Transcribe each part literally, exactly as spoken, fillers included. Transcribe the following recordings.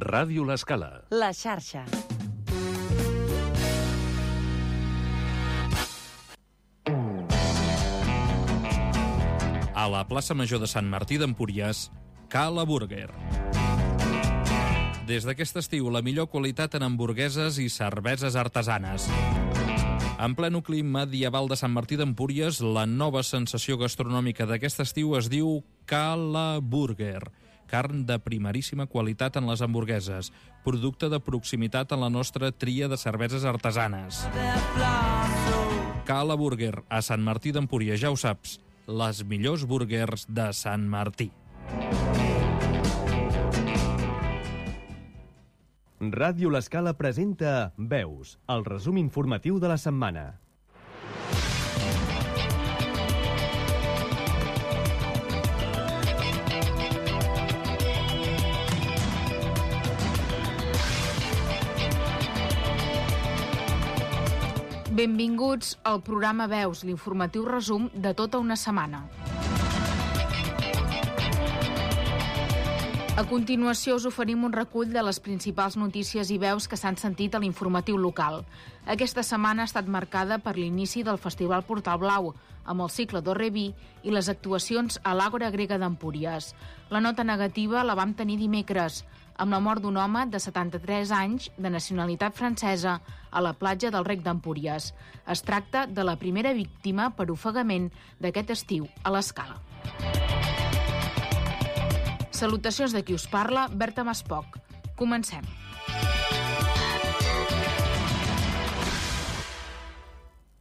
Ràdio L'Escala. La xarxa. A la plaça Major de Sant Martí d'Empúries, Cala Burger. Des d'aquest estiu, la millor qualitat en hamburgueses i cerveses artesanes. En ple nucli medieval de Sant Martí d'Empúries, la nova sensació gastronòmica d'aquest estiu es diu Cala Burger. Carn de primeríssima qualitat en les hamburgueses, producte de proximitat en la nostra tria de cerveses artesanes. Cala Burger, a Sant Martí d'Empúries, ja ho saps, les millors burgers de Sant Martí. Ràdio L'Escala presenta Veus, el resum informatiu de la setmana. Benvinguts al programa Veus, l'informatiu resum de tota una setmana. A continuació us oferim un recull de les principals notícies i veus que s'han sentit a l'informatiu local. Aquesta setmana ha estat marcada per l'inici del Festival Portal Blau, amb el cicle d'Orreví i les actuacions a l'Àgora Grega d'Empúries. La nota negativa la vam tenir dimecres, amb la mort d'un home de setanta-tres anys de nacionalitat francesa a la platja del Rec d'Empúries. Es tracta de la primera víctima per ofegament d'aquest estiu a l'Escala. Salutacions de qui us parla, Berta Maspoc. Comencem.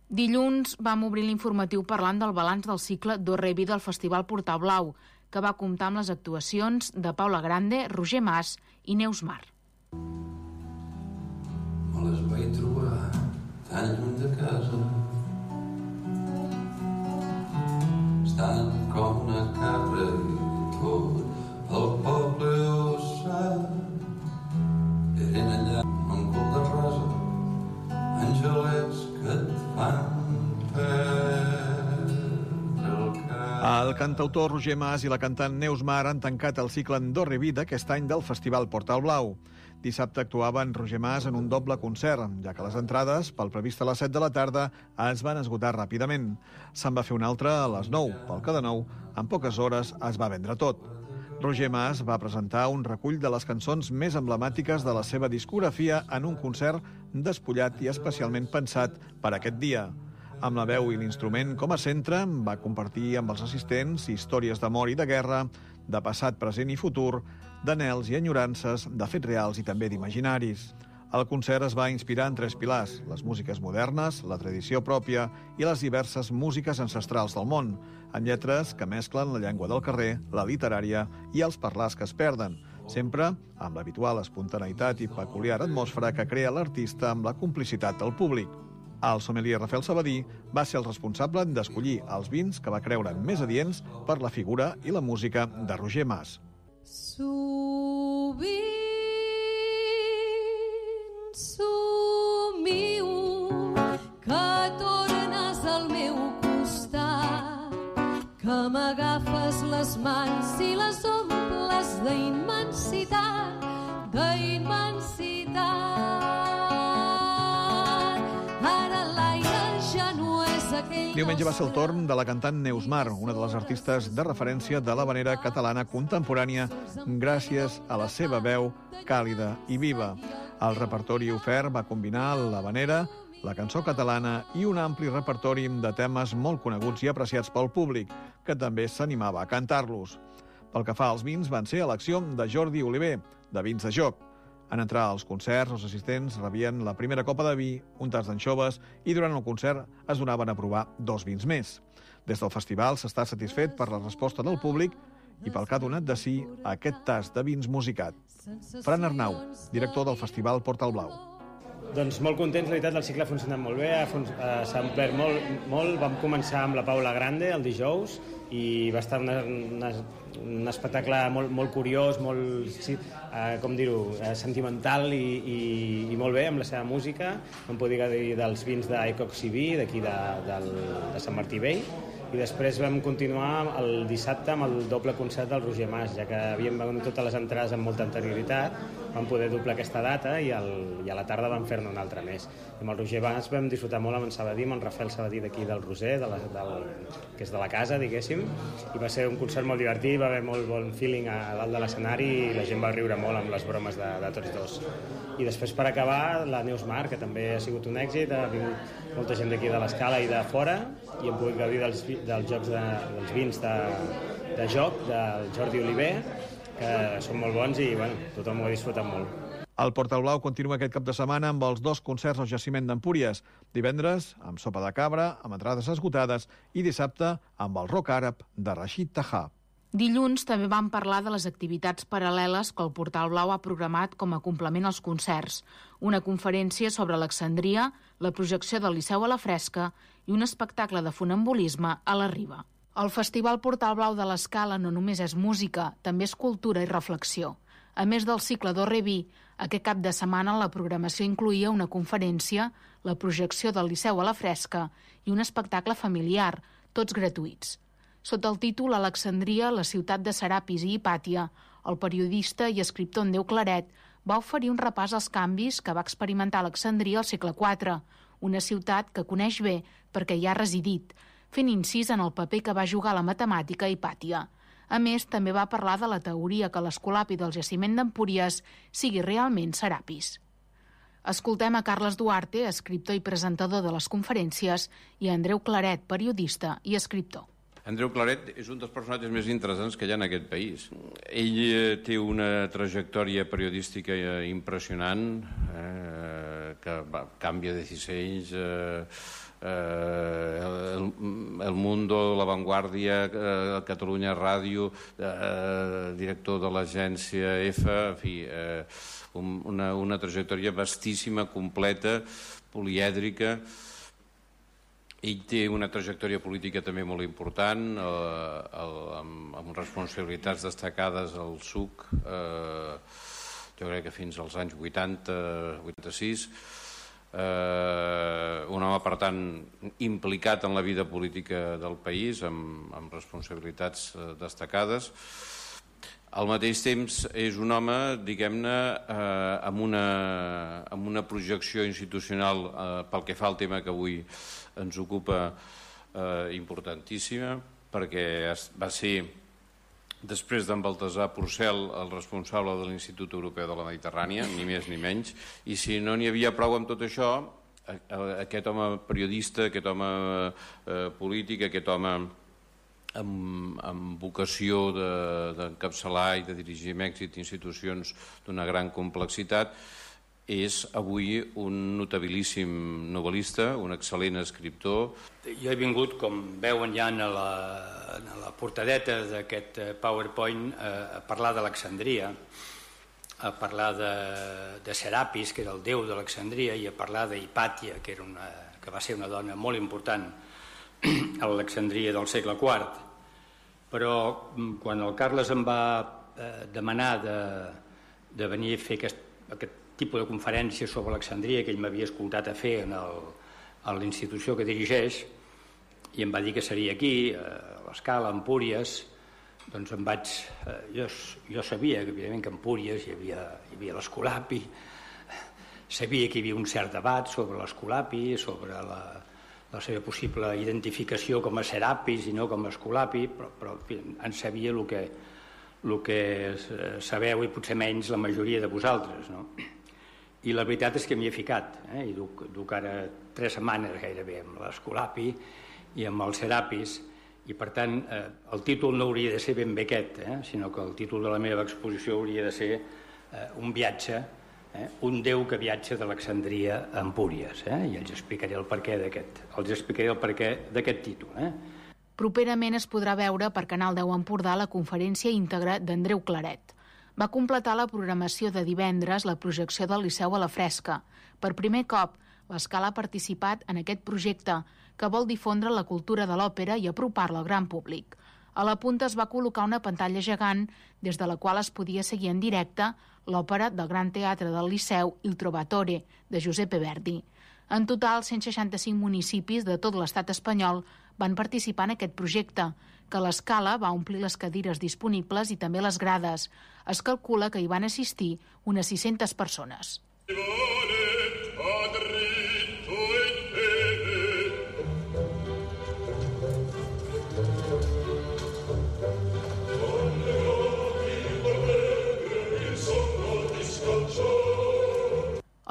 Dilluns vam obrir l'informatiu parlant del balanç del cicle d'Orreví del Festival Portal Blau, que va comptar amb les actuacions de Paula Grande, Roger Mas i Neus Mar. Me les vaig trobar tan lluny de casa, estan com una cabra i tot el poble ho sap. Eren allà un cul de rosa, angelets que et fan perdre el cap. El cantautor Roger Mas i la cantant Neus Mar han tancat el cicle d'Orreví d'aquest any del Festival Portal Blau. Dissabte actuaven Roger Mas en un doble concert, ja que les entrades, pel previst a les set de la tarda, es van esgotar ràpidament. Se'n va fer un altre a les nou, pel que de nou, en poques hores es va vendre tot. Roger Mas va presentar un recull de les cançons més emblemàtiques de la seva discografia en un concert despullat i especialment pensat per aquest dia. Amb la veu i l'instrument com a centre, va compartir amb els assistents històries d'amor i de guerra, de passat, present i futur, d'anhels i enyorances, de fets reals i també d'imaginaris. El concert es va inspirar en tres pilars: les músiques modernes, la tradició pròpia i les diverses músiques ancestrals del món, amb lletres que mesclen la llengua del carrer, la literària i els parlars que es perden, sempre amb l'habitual espontaneïtat i peculiar atmosfera que crea l'artista amb la complicitat del públic. El sommelier Rafael Sabadí va ser el responsable d'escollir els vins que va creure més adients per la figura i la música de Roger Mas. Sovint somio que tornes al meu costat, que m'agafes les mans i les omples d'immensitat, d'immensitat. Ara l'aire ja no és aquell... Diumenge va ser el torn de la cantant Neus Mar, una de les artistes de referència de l'havanera catalana contemporània, gràcies a la seva veu càlida i viva. El repertori ofert va combinar l'havanera, la cançó catalana i un ampli repertori de temes molt coneguts i apreciats pel públic, que també s'animava a cantar-los. Pel que fa als vins, van ser elecció de Jordi Oliver, de Vins de Joc. En entrar als concerts, els assistents rebien la primera copa de vi, un tas d'anxoves i durant el concert es donaven a provar dos vins més. Des del festival s'està satisfet per la resposta del públic i pel que ha donat de si aquest tas de vins musicat. Fran Arnau, director del Festival Portal Blau. Doncs molt contents, la veritat, el cicle ha funcionat molt bé, s'ha omplert molt, molt. Vam començar amb la Paula Grande el dijous i va estar una, una, un espectacle molt, molt curiós, molt, sí, eh, com dir-ho, eh, sentimental i, i, i molt bé amb la seva música. No em puc dir dels vins d'Ecox i Vi, d'aquí de, de, de Sant Martí Vell, I després vam continuar el dissabte amb el doble concert del Roger Mas, ja que havíem venut totes les entrades amb molta anterioritat, vam poder doblar aquesta data i, el, i a la tarda vam fer-ne una altra més. I amb el Roger Mas vam disfrutar molt amb en Sabadí, amb en Rafael Sabadí d'aquí del Roser, de la, del, que és de la casa, diguéssim, i va ser un concert molt divertit, va haver molt bon feeling a dalt de l'escenari i la gent va riure molt amb les bromes de, de tots dos. I després, per acabar, la Neus Mar, que també ha sigut un èxit, ha vingut molta gent d'aquí de l'Escala i de fora, i hem pogut gaudir dels, dels jocs de, dels vins de, de joc del Jordi Oliver, que són molt bons i bueno, tothom ho ha disfrutat molt. El Portal Blau continua aquest cap de setmana amb els dos concerts al jaciment d'Empúries. Divendres, amb Sopa de Cabra, amb entrades esgotades, i dissabte, amb el rock àrab de Rashid Taha. Dilluns també vam parlar de les activitats paral·leles que el Portal Blau ha programat com a complement als concerts. Una conferència sobre Alexandria, la projecció del Liceu a la Fresca i un espectacle de funambulisme a la Riba. El Festival Portal Blau de l'Escala no només és música, també és cultura i reflexió. A més del cicle d'O Re Vi, aquest cap de setmana la programació incloïa una conferència, la projecció del Liceu a la Fresca i un espectacle familiar, tots gratuïts. Sota el títol Alexandria, la ciutat de Serapis i Hipàtia, el periodista i escriptor Andreu Claret va oferir un repàs als canvis que va experimentar Alexandria al segle quatre, una ciutat que coneix bé perquè hi ha residit, fent incís en el paper que va jugar la matemàtica a Hipàtia. A més, també va parlar de la teoria que l'escolapi del jaciment d'Empúries sigui realment Serapis. Escoltem a Carles Duarte, escriptor i presentador de les conferències, i a Andreu Claret, periodista i escriptor. Andreu Claret és un dels personatges més interessants que hi ha en aquest país. Ell té una trajectòria periodística impressionant, eh, que va, canvia de dissenys, eh, eh, el, el Mundo, La Vanguardia, eh, Catalunya Ràdio, eh, director de l'agència F, en fi, eh, una, una trajectòria vastíssima, completa, polièdrica. Ell té una trajectòria política també molt important, eh, el, amb, amb responsabilitats destacades al S U C, eh, jo crec que fins als anys vuitanta vuitanta-sis. Eh, un home, per tant, implicat en la vida política del país, amb, amb responsabilitats eh, destacades. Al mateix temps és un home, diguem-ne, eh, amb, una, amb una projecció institucional eh, pel que fa al tema que avui ens ocupa eh, importantíssima, perquè es, va ser, després d'en Baltasar Porcel, el responsable de l'Institut Europeu de la Mediterrània, ni més ni menys, i si no n'hi havia prou amb tot això, aquest home periodista, aquest home eh, polític, aquest home amb, amb vocació d'encapçalar de, i de dirigir amb èxit institucions d'una gran complexitat, és avui un notabilíssim novel·lista, un excel·lent escriptor. Jo he vingut, com veuen ja en la, en la portadeta d'aquest PowerPoint, a parlar d'Alexandria, a parlar de, de Serapis, que era el déu d'Alexandria, i a parlar d'Hipàtia, que, era una, que va ser una dona molt important a l'Alexandria del segle quart. Però quan el Carles em va eh, demanar de, de venir a fer aquest, aquest tipus de conferència sobre Alexandria que ell m'havia escoltat a fer en el, a la institució que dirigeix, i em va dir que seria aquí, a l'Escala, a Empúries, doncs em vaig... Eh, jo, jo sabia que, evidentment, que a Empúries hi havia, hi havia l'Escolapi, sabia que hi havia un cert debat sobre l'Escolapi, sobre la, la seva possible identificació com a Serapis i no com a Escolapi, però, però en fi, en sabia el que, el que sabeu i potser menys la majoria de vosaltres, no? I la veritat és que m'hi he ficat, eh? I duc, duc ara tres setmanes gairebé amb l'Escolapi i amb el Serapis, i per tant eh, el títol no hauria de ser ben bé aquest, eh? Sinó que el títol de la meva exposició hauria de ser eh, un viatge, eh? un déu que viatja d'Alexandria a Empúries, eh? I els explicaré el perquè d'aquest, els explicaré el perquè d'aquest títol. Eh? Properament es podrà veure per Canal deu Empordà la conferència íntegra d'Andreu Claret. Va completar la programació de divendres la projecció del Liceu a la Fresca. Per primer cop, l'Escala ha participat en aquest projecte que vol difondre la cultura de l'òpera i apropar-la al gran públic. A la punta es va col·locar una pantalla gegant des de la qual es podia seguir en directe l'òpera del Gran Teatre del Liceu Il Trovatore, de Giuseppe Verdi. En total, cent seixanta-cinc municipis de tot l'estat espanyol van participar en aquest projecte, que a l'escala va omplir les cadires disponibles i també les grades. Es calcula que hi van assistir unes sis-centes persones.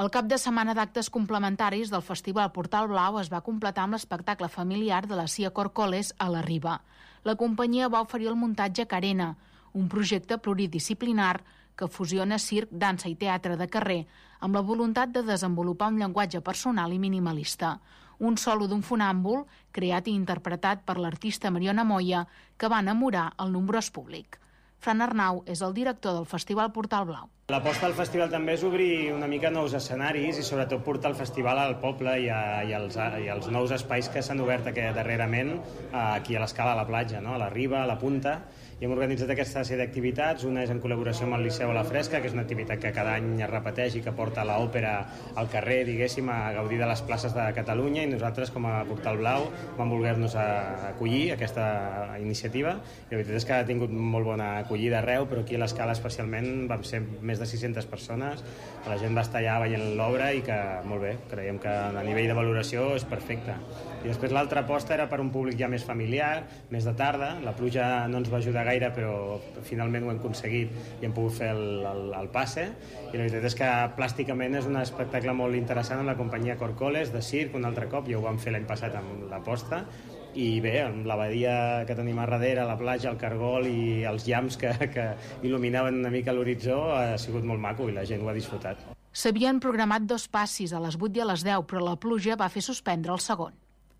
El cap de setmana d'actes complementaris del Festival Portal Blau es va completar amb l'espectacle familiar de la Cia Corcoles a la Riba. La companyia va oferir el muntatge Carena, un projecte pluridisciplinar que fusiona circ, dansa i teatre de carrer amb la voluntat de desenvolupar un llenguatge personal i minimalista. Un solo d'un funàmbul, creat i interpretat per l'artista Mariona Moya, que va enamorar el nombrós públic. Fran Arnau és el director del Festival Portal Blau. L'aposta del festival també és obrir una mica nous escenaris i sobretot portar el festival al poble i, a, i, als, i als nous espais que s'han obert aquí darrerament aquí a l'escala, a la platja, no? A la Riba, a la Punta. I hem organitzat aquesta sèrie d'activitats. Una és en col·laboració amb el Liceu a la Fresca, que és una activitat que cada any es repeteix i que porta l'òpera al carrer, diguéssim, a gaudir de les places de Catalunya, i nosaltres, com a Portal Blau, vam voler-nos acollir aquesta iniciativa. I la veritat és que ha tingut molt bona acollida arreu, però aquí a l'escala especialment vam ser més de sis-centes persones, la gent va estar allà veient l'obra i que, molt bé, creiem que a nivell de valoració és perfecte. I després l'altra aposta era per un públic ja més familiar, més de tarda. La pluja no ens va ajudar gaire, però finalment ho hem aconseguit i hem pogut fer el, el, el passe. I la veritat és que plàsticament és un espectacle molt interessant amb la companyia Corcoles, de circ, un altre cop, ja ho vam fer l'any passat amb l'aposta. I bé, amb la badia que tenim a darrere, la platja, el cargol i els llams que, que il·luminaven una mica l'horitzó, ha sigut molt maco i la gent ho ha disfrutat. S'havien programat dos passis, a les vuit i a les deu, però la pluja va fer suspendre el segon.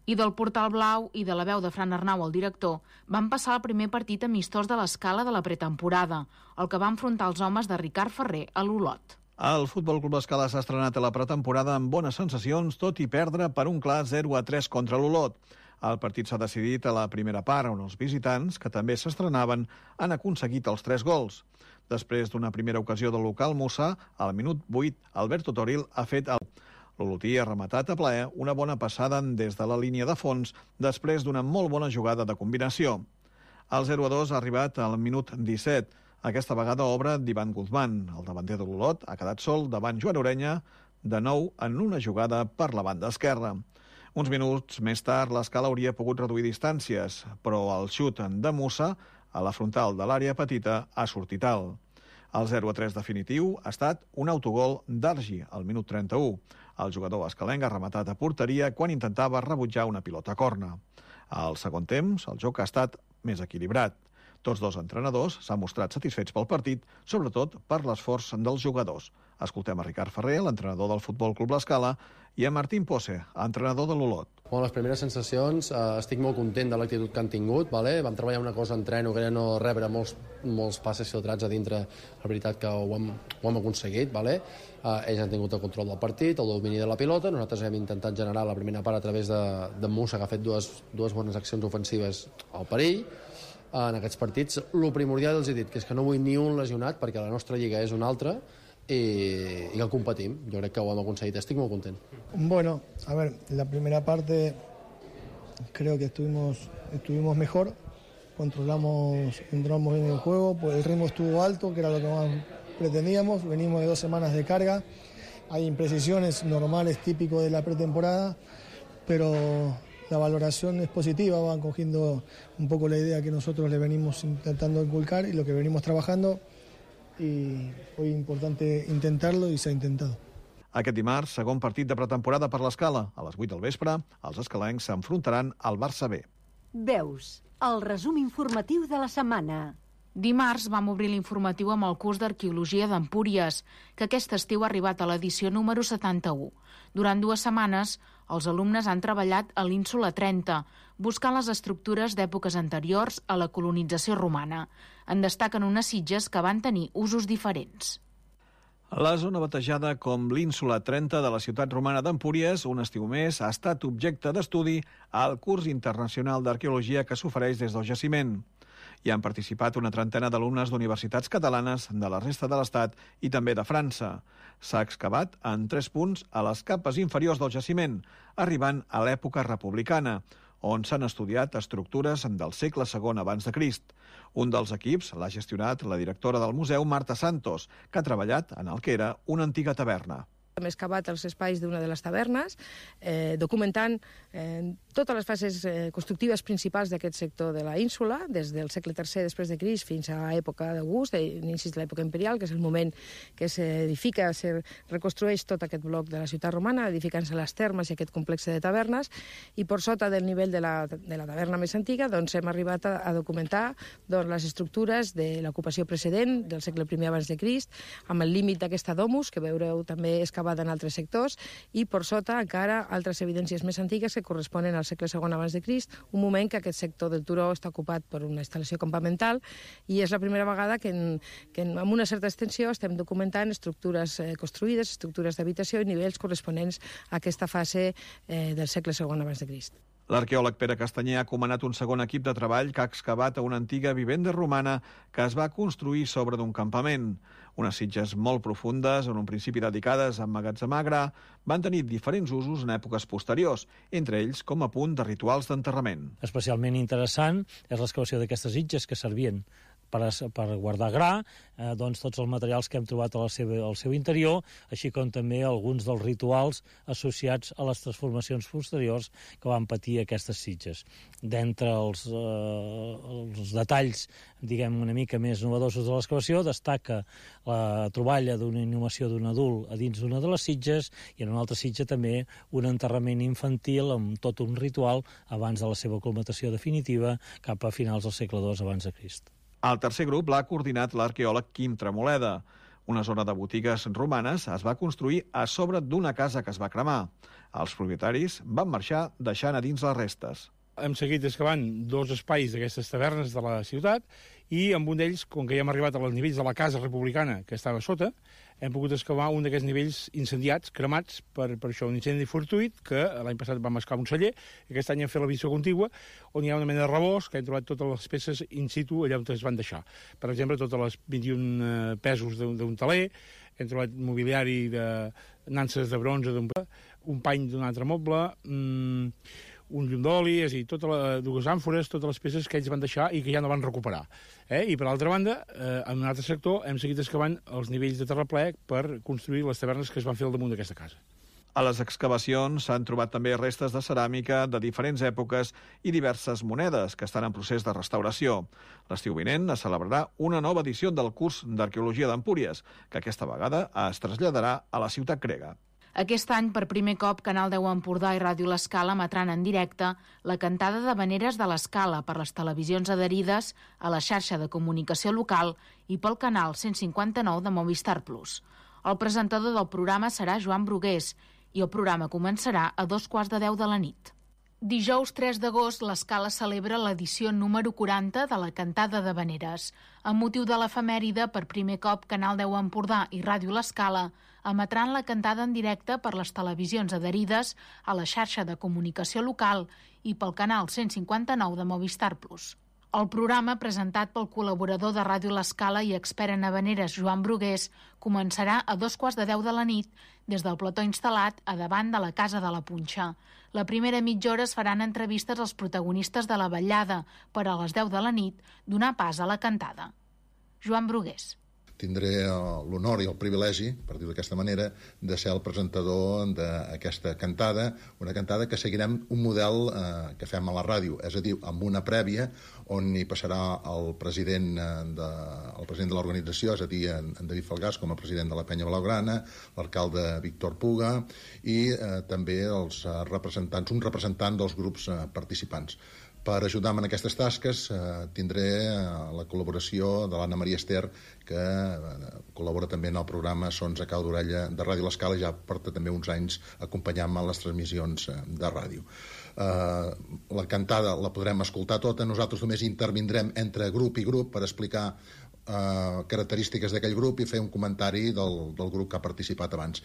I del Portal Blau i de la veu de Fran Arnau, el director, van passar el primer partit amistós de l'escala de la pretemporada, el que va enfrontar els homes de Ricard Ferrer a l'Olot. El Futbol Club Escala s'ha estrenat a la pretemporada amb bones sensacions, tot i perdre per un clar zero a tres contra l'Olot. El partit s'ha decidit a la primera part, on els visitants, que també s'estrenaven, han aconseguit els tres gols. Després d'una primera ocasió del local Musa, al minut vuit, Alberto Toril ha fet el... L'Olotí ha rematat a plaer una bona passada des de la línia de fons després d'una molt bona jugada de combinació. El zero a dos ha arribat al minut disset. Aquesta vegada obra d'Ivan Guzmán. El davanter de l'Olot ha quedat sol davant Joan Orenya, de nou en una jugada per la banda esquerra. Uns minuts més tard, l'Escala hauria pogut reduir distàncies, però el xut de Musa a la frontal de l'àrea petita ha sortit alt. El zero a tres definitiu ha estat un autogol d'Argi al minut trenta-u. El jugador escalenc ha rematat a porteria quan intentava rebutjar una pilota corna. Al segon temps, el joc ha estat més equilibrat. Tots dos entrenadors s'han mostrat satisfets pel partit, sobretot per l'esforç dels jugadors. Escoltem a Ricard Ferrer, l'entrenador del Futbol Club L'Escala, i a Martín Pose, entrenador de l'Olot. Bueno, les primeres sensacions, eh, estic molt content de l'actitud que han tingut. Vale? Vam treballar una cosa en treno, que era no rebre molts, molts passes filtrats a dintre. La veritat que ho hem, ho hem aconseguit. Vale? Eh, ells han tingut el control del partit, el domini de la pilota. Nosaltres hem intentat generar la primera part a través de, de Musa, que ha fet dues, dues bones accions ofensives al perill. En aquests partits, el primordial els he dit, que és que no vull ni un lesionat, perquè la nostra lliga és una altra, i, y que competim. Jo crec que ho hem aconseguit, estic molt content. Bueno, a ver, la primera parte creo que estuvimos, estuvimos mejor, controlamos, entramos en el juego, pues el ritmo estuvo alto, que era lo que más pretendíamos, venimos de dos semanas de carga, hay imprecisiones normales, típico de la pretemporada, pero la valoración es positiva, van cogiendo un poco la idea que nosotros le venimos intentando inculcar y lo que venimos trabajando, i fue importante intentarlo i s'ha intentat. Aquest dimarts, segon partit de pretemporada per l'Escala. A les vuit del vespre, els escalencs s'enfrontaran al Barça B. Veus, el resum informatiu de la setmana. Dimarts vam obrir l'informatiu amb el curs d'Arqueologia d'Empúries, que aquest estiu ha arribat a l'edició número setanta-u. Durant dues setmanes, els alumnes han treballat a l'Ínsula trenta, buscant les estructures d'èpoques anteriors a la colonització romana. En destaquen unes sitges que van tenir usos diferents. La zona batejada com l'Ínsula trenta de la ciutat romana d'Empúries, un estiu més, ha estat objecte d'estudi al curs internacional d'arqueologia que s'ofereix des del jaciment. Hi han participat una trentena d'alumnes d'universitats catalanes de la resta de l'Estat i també de França. S'ha excavat en tres punts a les capes inferiors del jaciment, arribant a l'època republicana, on s'han estudiat estructures del segle segon abans de Crist. Un dels equips l'ha gestionat la directora del museu, Marta Santos, que ha treballat en el que era una antiga taverna. Hem excavat els espais d'una de les tavernes, eh, documentant eh, totes les fases eh, constructives principals d'aquest sector de la ínsula, des del segle tercer després de Crist fins a l'època d'August, inicis de l'època imperial, que és el moment que s'edifica, se reconstrueix tot aquest bloc de la ciutat romana, edificant-se les termes i aquest complex de tavernes, i per sota del nivell de la, de la taverna més antiga doncs, hem arribat a, a documentar doncs, les estructures de l'ocupació precedent del segle primer abans de Crist, amb el límit d'aquesta domus, que veureu també excavat en altres sectors, i per sota encara altres evidències més antigues que corresponen al segle segon abans de Crist, un moment que aquest sector del turó està ocupat per una instal·lació campamental, i és la primera vegada que, en, que en, amb una certa extensió estem documentant estructures eh, construïdes, estructures d'habitació i nivells corresponents a aquesta fase eh, del segle segon abans de Crist. L'arqueòleg Pere Castanyer ha comanat un segon equip de treball que ha excavat a una antiga vivenda romana que es va construir sobre d'un campament. Unes sitges molt profundes, en un principi dedicades a emmagatzemar gra, van tenir diferents usos en èpoques posteriors, entre ells com a punt de rituals d'enterrament. Especialment interessant és l'excavació d'aquestes sitges que servien per, a, per guardar gra, eh, doncs tots els materials que hem trobat al seu, al seu interior, així com també alguns dels rituals associats a les transformacions posteriors que van patir aquestes sitges. D'entre els, eh, els detalls, diguem, una mica més novedosos de l'excavació, destaca la troballa d'una inhumació d'un adult a dins d'una de les sitges, i en una altra sitja també un enterrament infantil amb tot un ritual abans de la seva colmatació definitiva cap a finals del segle dos abans de Crist. El tercer grup l'ha coordinat l'arqueòleg Quim Tremoleda. Una zona de botigues romanes es va construir a sobre d'una casa que es va cremar. Els propietaris van marxar deixant a dins les restes. Hem seguit excavant dos espais d'aquestes tavernes de la ciutat i amb un d'ells, com que ja hem arribat als nivells de la casa republicana que estava sota, hem pogut excavar un d'aquests nivells incendiats, cremats per, per això, un incendi fortuït, que l'any passat vam excavar un celler, i aquest any hem fet la visió contigua, on hi ha una mena de rebost que hem trobat totes les peces in situ allà on es van deixar. Per exemple, totes les vint-i-un pesos d'un taler, hem trobat mobiliari de nanses de bronze, un pany d'un altre moble, mmm, un llum d'oli, és a dir, totes les dues àmfores, totes les peces que ells van deixar i que ja no van recuperar. Eh? I per l'altra banda, eh, en un altre sector, hem seguit excavant els nivells de terraplè per construir les tavernes que es van fer al damunt d'aquesta casa. A les excavacions s'han trobat també restes de ceràmica de diferents èpoques i diverses monedes que estan en procés de restauració. L'estiu vinent es celebrarà una nova edició del curs d'Arqueologia d'Empúries, que aquesta vegada es traslladarà a la ciutat grega. Aquest any, per primer cop, Canal deu Empordà i Ràdio L'Escala emetran en directe la cantada d'havaneres de l'Escala per les televisions adherides a la xarxa de comunicació local i pel canal cent cinquanta-nou de Movistar Plus. El presentador del programa serà Joan Brugués i el programa començarà a dos quarts de deu de la nit. Dijous tres d'agost, l'Escala celebra l'edició número quaranta de la Cantada d'Havaneres. Amb motiu de l'efemèride, per primer cop, Canal deu Empordà i Ràdio L'Escala emetran la cantada en directe per les televisions adherides a la xarxa de comunicació local i pel canal cent cinquanta-nou de Movistar Plus. El programa, presentat pel col·laborador de Ràdio L'Escala i expert en havaneres Joan Brugués, començarà a dos quarts de deu de la nit des del plató instal·lat a davant de la Casa de la Punxa. La primera mitja hora es faran entrevistes als protagonistes de la vetllada per a les deu de la nit donar pas a la cantada. Joan Brugués. Tindré l'honor i el privilegi, per dir-ho d'aquesta manera, de ser el presentador d'aquesta cantada, una cantada que seguirem un model eh, que fem a la ràdio, és a dir, amb una prèvia on hi passarà el president de, el president de l'organització, és a dir, en, en David Falgàs, com a president de la Penya Blaugrana, l'alcalde Víctor Puga i eh, també els representants, un representant dels grups eh, participants. Per ajudar-me en aquestes tasques eh, tindré eh, la col·laboració de l'Anna Maria Ester, que eh, col·labora també en el programa Sons a cau d'orella de Ràdio L'Escala i ja porta també uns anys acompanyant-me en les transmissions eh, de ràdio. Eh, la cantada la podrem escoltar tota, nosaltres només intervindrem entre grup i grup per explicar Uh, característiques d'aquell grup i fer un comentari del, del grup que ha participat abans.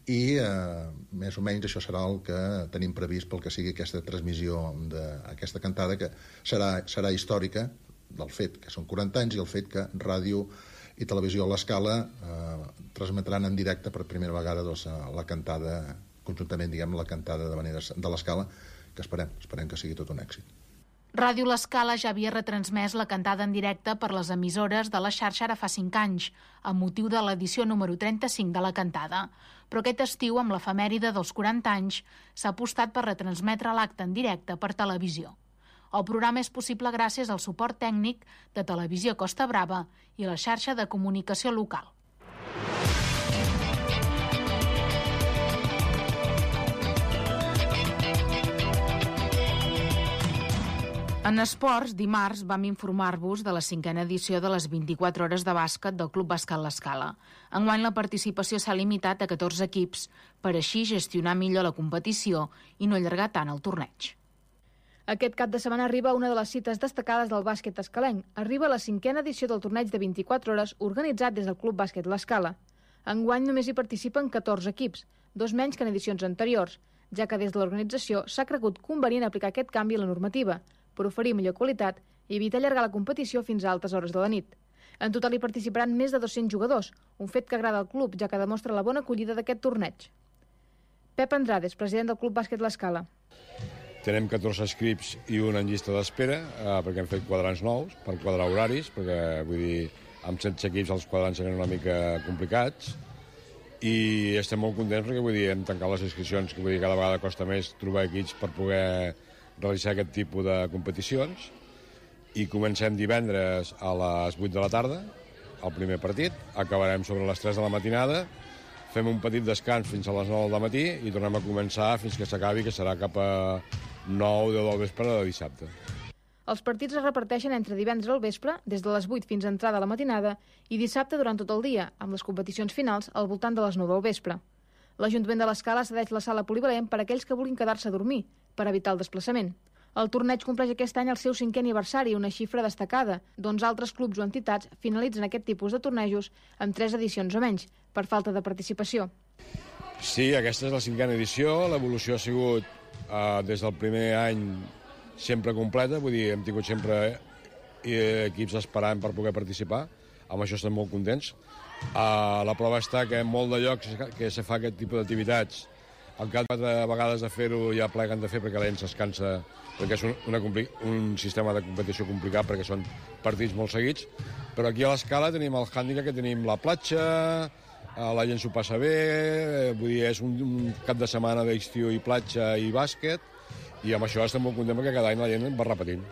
I uh, més o menys això serà el que tenim previst pel que sigui aquesta transmissió d'aquesta cantada, que serà, serà històrica del fet que són quaranta anys i el fet que ràdio i televisió a l'Escala uh, transmetran en directe per primera vegada doncs, la cantada, conjuntament, diguem, la cantada d'havaneres de l'Escala, que esperem, esperem que sigui tot un èxit. Ràdio L'Escala ja havia retransmès la cantada en directe per les emissores de la xarxa ara fa cinc anys, amb motiu de l'edició número trenta-cinc de la cantada. Però aquest estiu, amb l'efemèride dels quaranta anys, s'ha apostat per retransmetre l'acte en directe per televisió. El programa és possible gràcies al suport tècnic de Televisió Costa Brava i la xarxa de comunicació local. En esports, dimarts vam informar-vos de la cinquena edició de les vint-i-quatre hores de bàsquet del Club Bàsquet L'Escala. Enguany la participació s'ha limitat a catorze equips, per així gestionar millor la competició i no allargar tant el torneig. Aquest cap de setmana arriba una de les cites destacades del bàsquet escalenc. Arriba la cinquena edició del torneig de vint-i-quatre hores organitzat des del Club Bàsquet L'Escala. Enguany només hi participen catorze equips, dos menys que en edicions anteriors, ja que des de l'organització s'ha cregut convenient aplicar aquest canvi a la normativa, per oferir millor qualitat i evitar allargar la competició fins a altes hores de la nit. En total hi participaran més de dos-cents jugadors, un fet que agrada al club, ja que demostra la bona acollida d'aquest torneig. Pep Andrades, president del Club Bàsquet L'Escala. Tenim catorze inscrits i un en llista d'espera, eh, perquè hem fet quadrants nous, per quadrar horaris, perquè vull dir, amb setze equips els quadrants eren una mica complicats, i estem molt contents perquè vull dir, hem tancat les inscripcions, que vull dir, cada vegada costa més trobar equips per poder realitzar aquest tipus de competicions, i comencem divendres a les vuit de la tarda, el primer partit, acabarem sobre les tres de la matinada, fem un petit descans fins a les nou del matí i tornem a començar fins que s'acabi, que serà cap a nou o deu del vespre de dissabte. Els partits es reparteixen entre divendres al vespre, des de les vuit fins a entrada a la matinada, i dissabte durant tot el dia, amb les competicions finals al voltant de les nou del vespre. L'Ajuntament de l'Escala cedeix la sala polivalent per a aquells que vulguin quedar-se a dormir, per evitar el desplaçament. El torneig compleix aquest any el seu cinquè aniversari, una xifra destacada, doncs altres clubs o entitats finalitzen aquest tipus de tornejos amb tres edicions o menys, per falta de participació. Sí, aquesta és la cinquena edició, l'evolució ha sigut eh, des del primer any sempre completa, vull dir, hem tingut sempre eh, equips esperant per poder participar, amb això estem molt contents. Eh, la prova està que en molt de llocs que se fa aquest tipus d'activitats, al cap de vegades de fer-ho ja pleguen de fer perquè la gent s'escansa, perquè és un, una, un sistema de competició complicat perquè són partits molt seguits, però aquí a l'Escala tenim el hàndicap que tenim la platja, la gent s'ho passa bé, vull dir, és un, un cap de setmana d'estiu i platja i bàsquet, i amb això estem molt contents perquè cada any la gent va repetint.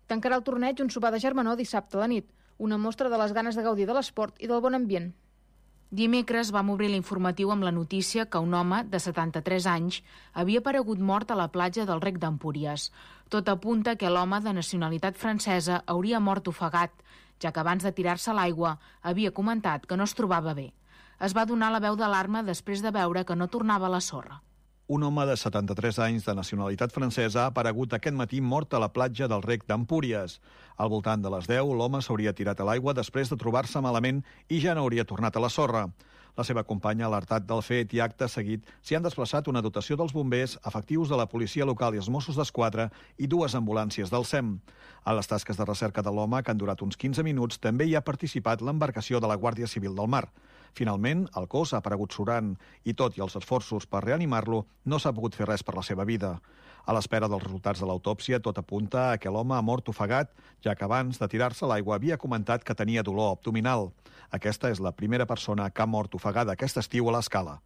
Tancarà el torneig un sopar de germanor dissabte a la nit, una mostra de les ganes de gaudir de l'esport i del bon ambient. Dimecres vam obrir l'informatiu amb la notícia que un home de setanta-tres anys havia aparegut mort a la platja del Rec d'Empúries. Tot apunta que l'home de nacionalitat francesa hauria mort ofegat, ja que abans de tirar-se a l'aigua havia comentat que no es trobava bé. Es va donar la veu d'alarma després de veure que no tornava a la sorra. Un home de setanta-tres anys de nacionalitat francesa ha aparegut aquest matí mort a la platja del Rec d'Empúries. Al voltant de les deu, l'home s'hauria tirat a l'aigua després de trobar-se malament i ja no hauria tornat a la sorra. La seva companya ha alertat del fet i acte seguit s'hi han desplaçat una dotació dels bombers, efectius de la policia local i els Mossos d'Esquadra i dues ambulàncies del S E M. A les tasques de recerca de l'home, que han durat uns quinze minuts, també hi ha participat l'embarcació de la Guàrdia Civil del Mar. Finalment, el cos ha aparegut surant i, tot i els esforços per reanimar-lo, no s'ha pogut fer res per la seva vida. A l'espera dels resultats de l'autòpsia, tot apunta a que l'home ha mort ofegat, ja que abans de tirar-se a l'aigua havia comentat que tenia dolor abdominal. Aquesta és la primera persona que ha mort ofegada aquest estiu a l'Escala.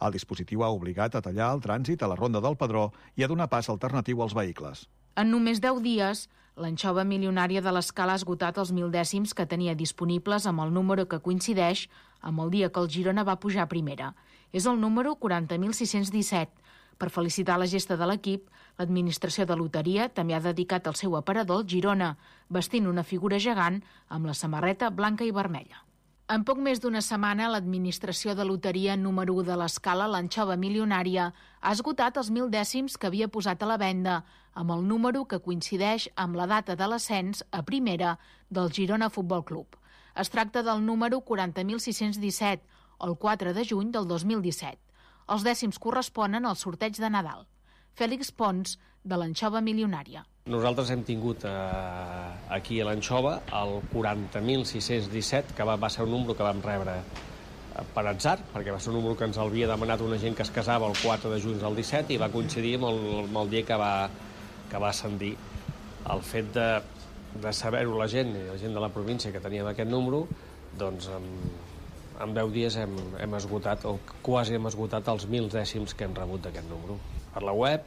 El dispositiu ha obligat a tallar el trànsit a la Ronda del Pedró i a donar pas alternatiu als vehicles. En només deu dies, l'anxova milionària de l'Escala ha esgotat els mil dècims que tenia disponibles amb el número que coincideix amb el dia que el Girona va pujar a primera. És el número quaranta mil sis-cents disset. Per felicitar la gesta de l'equip, l'administració de loteria també ha dedicat el seu aparador al Girona, vestint una figura gegant amb la samarreta blanca i vermella. En poc més d'una setmana, l'administració de loteria número u de l'Escala, l'anxova milionària, ha esgotat els mil dècims que havia posat a la venda, amb el número que coincideix amb la data de l'ascens a primera del Girona Futbol Club. Es tracta del número quaranta mil sis-cents disset, o el quatre de juny del dos mil disset. Els dècims corresponen al sorteig de Nadal. Fèlix Pons, de l'anxova milionària. Nosaltres hem tingut eh, aquí a l'anxova el quaranta mil sis-cents disset, que va, va ser un número que vam rebre per atzar, perquè va ser un número que ens havia demanat una gent que es casava el quatre de juny del disset i va coincidir amb el, amb el dia que va, que va ascendir. El fet de, de saber-ho la gent, i la gent de la província que teníem aquest número, doncs en, en deu dies hem, hem esgotat, o quasi hem esgotat els mil dècims que hem rebut d'aquest número. Per la web,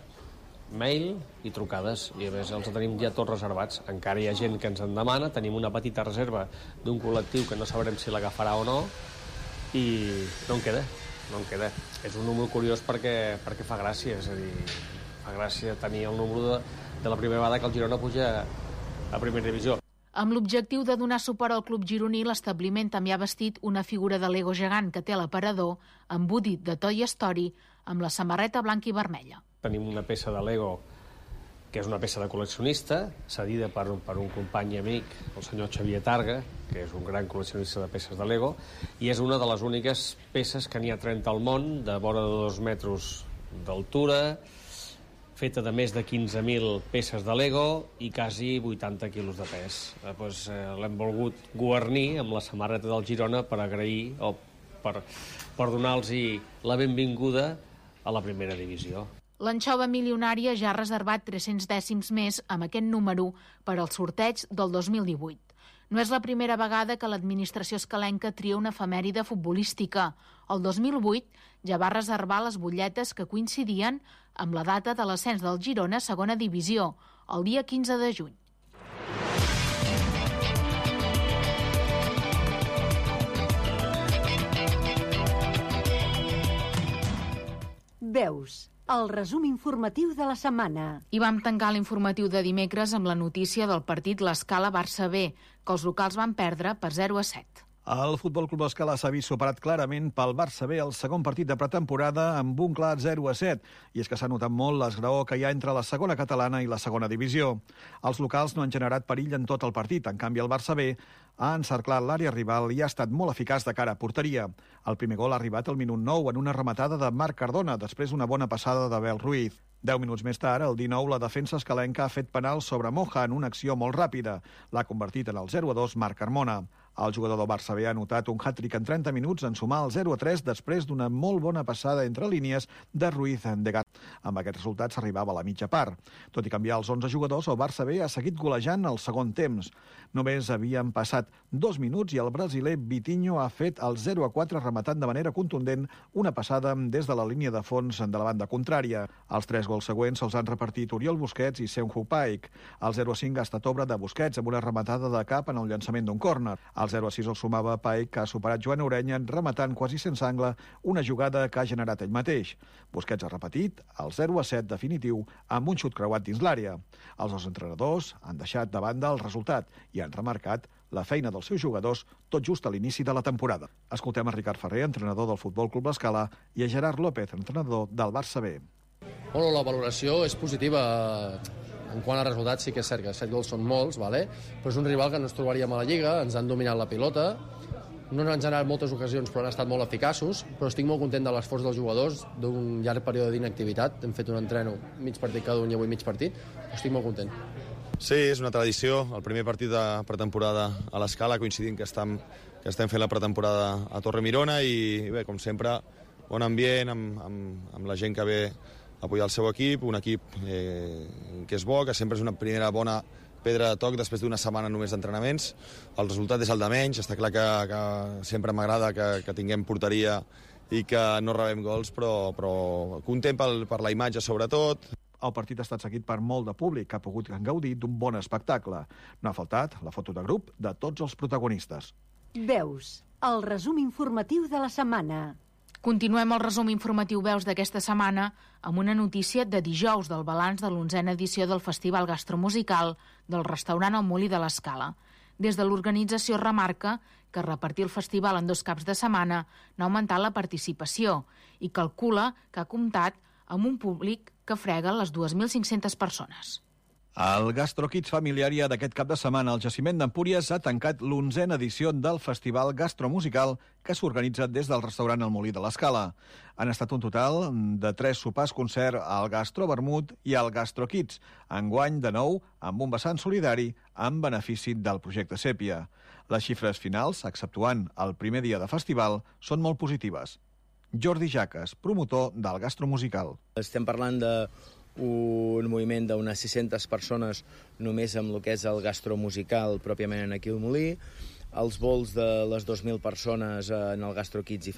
mail i trucades, i a més els tenim ja tots reservats. Encara hi ha gent que ens en demana, tenim una petita reserva d'un col·lectiu que no sabrem si l'agafarà o no, i no en queda, no en queda. És un número curiós perquè, perquè fa gràcia, és a dir, fa gràcia tenir el número de, de la primera vegada que el Girona puja a primera divisió. Amb l'objectiu de donar suport al club gironí, l'establiment també ha vestit una figura de Lego gegant que té a l'aparador, embudit de Toy Story, amb la samarreta blanca i vermella. Tenim una peça de Lego que és una peça de col·leccionista, cedida per, per un company i amic, el senyor Xavier Targa, que és un gran col·leccionista de peces de Lego, i és una de les úniques peces que n'hi ha trenta al món, de vora de dos metres d'altura, feta de més de quinze mil peces de Lego i quasi vuitanta quilos de pes. Eh, doncs, eh, l'hem volgut guarnir amb la samarreta del Girona per agrair o per, per donar-los la benvinguda a la primera divisió. L'anxova milionària ja ha reservat tres-cents dècims més amb aquest número per al sorteig del dos mil divuit. No és la primera vegada que l'administració escalenca tria una efemèride futbolística. El dos mil vuit ja va reservar les butlletes que coincidien amb la data de l'ascens del Girona a segona divisió, el dia quinze de juny. Veus, el resum informatiu de la setmana. I vam tancar l'informatiu de dimecres amb la notícia del partit l'Escala Barça B, que els locals van perdre per zero a set. El Futbol Club Escala s'ha vist superat clarament pel Barça B el segon partit de pretemporada amb un clar zero a set. I és que s'ha notat molt l'esgraó que hi ha entre la segona catalana i la segona divisió. Els locals no han generat perill en tot el partit. En canvi, el Barça B ha encerclat l'àrea rival i ha estat molt eficaç de cara a porteria. El primer gol ha arribat al minut nou en una rematada de Marc Cardona, després una bona passada d'Abel Ruiz. Deu minuts més tard, el dinou, la defensa escalenca ha fet penal sobre Moja en una acció molt ràpida. L'ha convertit en el zero a dos Marc Carmona. El jugador del Barça B ha anotat un hat-trick en trenta minuts en sumar el zero a tres després d'una molt bona passada entre línies de Ruiz de Gat. Amb aquest resultat s'arribava a la mitja part. Tot i canviar els onze jugadors, el Barça B ha seguit golejant el segon temps. Només havien passat dos minuts i el brasiler Vitinho ha fet el zero a quatre rematant de manera contundent una passada des de la línia de fons de la banda contrària. Els tres gols següents els han repartit Oriol Busquets i Seunju Paik. El zero a cinc ha estat obra de Busquets amb una rematada de cap en el llançament d'un córner. El zero a sis el sumava Paik, que ha superat Joan Orenya rematant quasi sense angle una jugada que ha generat ell mateix. Busquets ha repetit el zero a set definitiu amb un xut creuat dins l'àrea. Els dos entrenadors han deixat de banda el resultat i han remarcat la feina dels seus jugadors tot just a l'inici de la temporada. Escoltem a Ricard Ferrer, entrenador del Futbol Club Escala, i a Gerard López, entrenador del Barça B. Bueno, la valoració és positiva. En quant a resultats sí que és cert que set gols són molts, vale? Però és un rival que no ens trobaríem a la Lliga, ens han dominat la pilota, no ens han generat moltes ocasions però han estat molt eficaços, però estic molt content de l'esforç dels jugadors d'un llarg període d'inactivitat. Hem fet un entreno mig partit cada un i avui mig partit, però estic molt content. Sí, és una tradició, el primer partit de pretemporada a l'Escala, coincidint que estem, que estem fent la pretemporada a Torre Mirona i bé, com sempre, bon ambient amb, amb, amb la gent que ve apoyar el seu equip, un equip eh, que és bo, que sempre és una primera bona pedra de toc després d'una setmana només d'entrenaments. El resultat és el de menys, està clar que, que sempre m'agrada que, que tinguem porteria i que no rebem gols, però, però content pel, per la imatge sobretot. El partit ha estat seguit per molt de públic que ha pogut gaudir d'un bon espectacle. No ha faltat la foto de grup de tots els protagonistes. Veus, el resum informatiu de la setmana. Continuem el resum informatiu Veus d'aquesta setmana amb una notícia de dijous del balanç de l'onzena edició del Festival Gastromusical del restaurant El Molí de l'Escala. Des de l'organització remarca que repartir el festival en dos caps de setmana n'ha augmentat la participació i calcula que ha comptat amb un públic que frega les dues mil cinc-centes persones. El GastroKids Familiaria d'aquest cap de setmana al Jaciment d'Empúries ha tancat l'onzena edició del Festival Gastromusical que s'organitza des del restaurant El Molí de l'Escala. Han estat un total de tres sopars-concert al Gastro Vermut i al GastroKids, enguany de nou amb un vessant solidari en benefici del projecte Sèpia. Les xifres finals, exceptuant el primer dia de festival, són molt positives. Jordi Jaques, promotor del Gastromusical. Estem parlant de un moviment d'unes sis-centes persones només amb el que és el gastromusical pròpiament aquí al Molí, els vols de les dues mil persones en el GastroKids i